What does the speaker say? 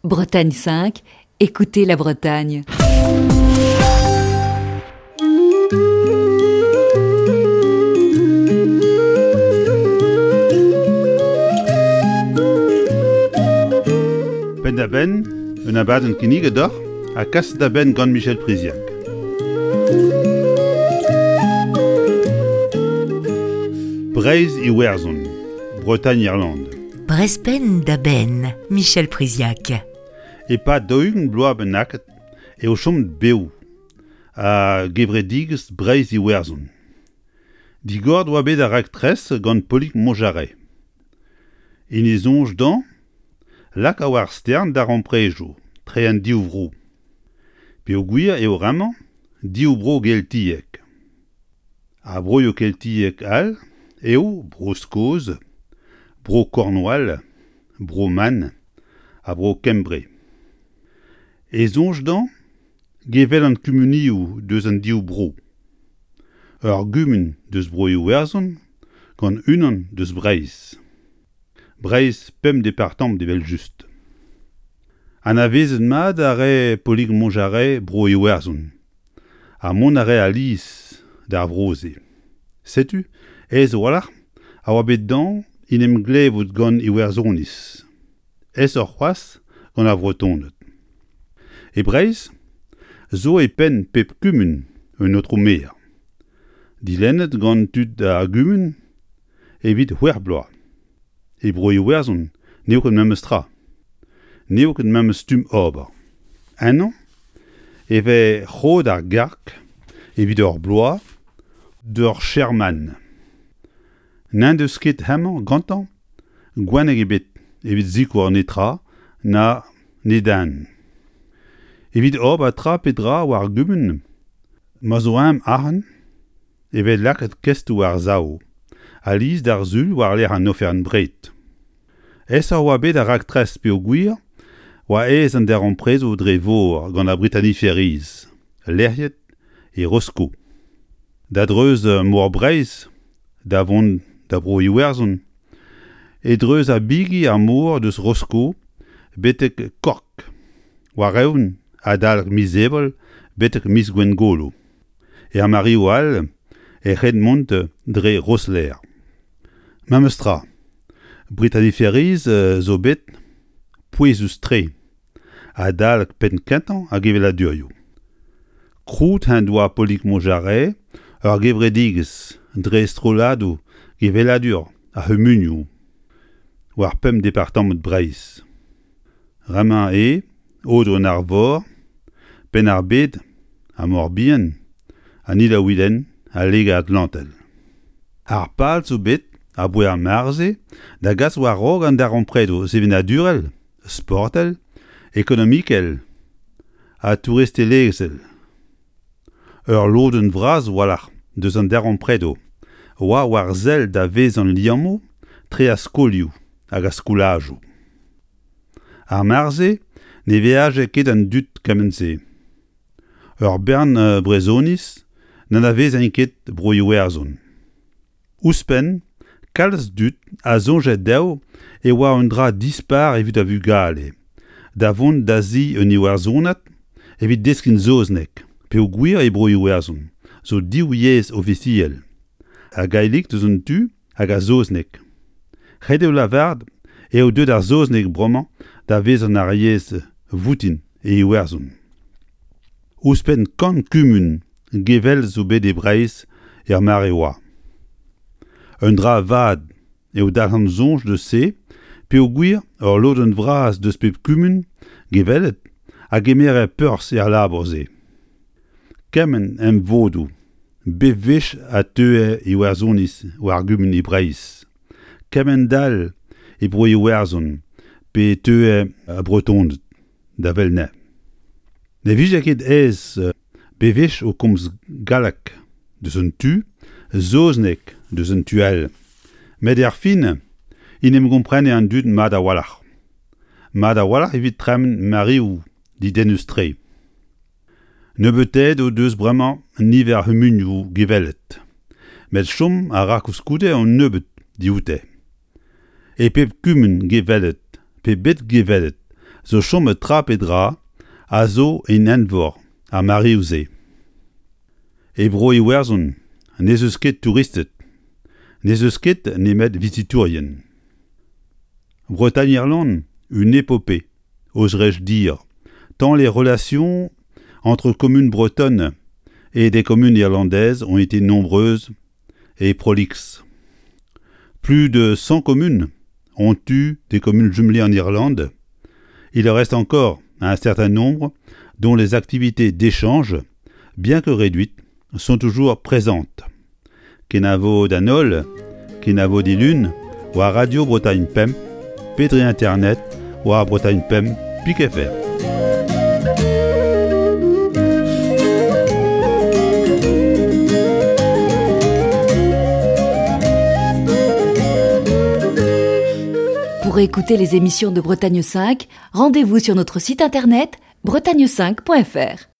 Bretagne 5, écoutez la Bretagne. Penn-da-benn, un abadenn kinniget deoc'h ha kaset da benn gant Michel Priziac. Breizh Iwerzhon, Bretagne Irlande. Brezh da benn, Michel Priziac. E-pad 40 bloaz bennaket eo chomet bev ar gevredigezh Breizh-Iwerzhon. Digoret oa bet ar raktres gant Polig Montjarret. En e soñj dezhañ laka war stern darempredoù tre an div vro. Peogwir eo bremañ div vro geltiek. Ar broioù keltiek all eo Bro-Skos, Bro-Cornwall, Bro-Man ha Bro-Kembre. E soñj dezhañ gevellan kumunioù deus an div bro. Ur gumun deus Bro-Iwerzhon gant unan deus Breizh. Breizh pemp departamant evel-just. Anavezet mat a rae Polig Montjarret Bro-Iwerzhon. Ha mont a rae alies d'ar vro-se. Setu, aes a-walc'h, a oa bet dezhañ en em glevout gant Iwerzhoniz. Aesoc'h c'hoazh gant ar Vretoned. E Breizh zo e penn pep kumun un aotrou maer, dilennet gant tud ar gumun evit c'hwec'h bloaz. E Bro-Iwerzhon n'eo ket memes tra. N'eo ket memes stumm ober. Ennañ e vez roet ar garg evit ur bloaz d'ur chairman. N'en deus ket hemañ gantañ gwenneg ebet evit sikour netra na ne den. Evit ober tra pe dra war gumun ma zo eñ arc'hant e vez lakaet kestoù war-sav alies d'ar Sul war-lerc'h an oferenn-bred. Aesoc'h oa bet ar raktres peogwir oa aes an darempredoù dre vor gant ar Brittany Ferries, lec'hiet e Rosko. Da dreuz Mor Breizh da vont da Bro-Iwerzhon e dreuz ar bigi ar mor deus Rosko betek Cork, war-eeun adalek miz Ebrel betek miz Gwengolo. Er mareoù all e c'hell mont dre Rosslare. Memes tra, Brittany Ferries zo bet pouezus-tre adalek penn-kentañ ar geveladurioù. Krouet en doa Polig Montjarret ur gevredigezh dre strolladoù geveladur ar c'humunioù war pemp departamant Breizh. Bremañ eo Aodoù-an-Arvor, Penn-ar-Bed ha Mor-Bihan an Il-ha-Wilen ha Liger-Atlantel. Ar pal zo bet aboae ar mare-se da gas war-raok an darempredoù sevenadurel, sportel, ekonomikel ha touristelezhel. Ur lodenn vras a-walc'h deus an darempredoù oa war sell da vezañ liammoù tre ar skolioù hag ar skolajoù. Ar mare-se ne veaje ket an dud kement-se. Ur bern Brezhoniz n'anavezent ket Bro-Iwerzhon. Ouzhpenn, kalz dud a soñje dezho e oa un dra dispar evit ar vugale da vont da zi un Iwerzhonad evit deskiñ saozneg peogwir e Bro-Iwerzhon zo div yezh ofisiel, ar gaeleg deus un tu hag ar saozneg. Ret eo lavaret eo deuet ar saozneg bremañ da vezañ ar yezh voutin e Iwerzhon. Ouzhpenn kant kumun gevell zo bet e Breizh er mare oa. Un dra vat eo dalc'han soñj deus se peogwir ul lodenn vras deus pep kumun gevellet a gemere perzh er labour-se. Kement emvodoù bep wech a teue Iwerzhoniz war gumun e Breizh. Kemend-all e Bro-Iwerzhon pe e teue Bretoned da wel anezhe. Ne vije ket aes bewech o komz galleg deus un tu, saozneg deus un tu all. Met erfin en em gomprene an dud mat a-walc'h. Mat a-walc'h evit tremen mareoù dedennus-tre. Nebeutaet o deus bremañ niver ar c'humunioù gevellet, met chom a ra koulskoude un nebeud dioute. E pep kumun gevellet pe bet gevellet zo chomet tra pe dra a zo en envor ar mareoù-se. E Bro-Iwerzhon n'ez eus ket touristed, n'ez eus ket nemet vizitourien. Bretagne-Irlande, une épopée, oserais-je dire, tant les relations entre communes bretonnes et des communes irlandaises ont été nombreuses et prolixes. Plus de 100 communes ont eu des communes jumelées en Irlande. Il en reste encore un certain nombre dont les activités d'échange, bien que réduites, sont toujours présentes. Kenavo d'an holl, kenavo dilun, war Radio Bretagne Pemp, pe dre internet war Bretagne Pemp pik fr. Pour écouter les émissions de Bretagne 5, rendez-vous sur notre site internet bretagne5.fr.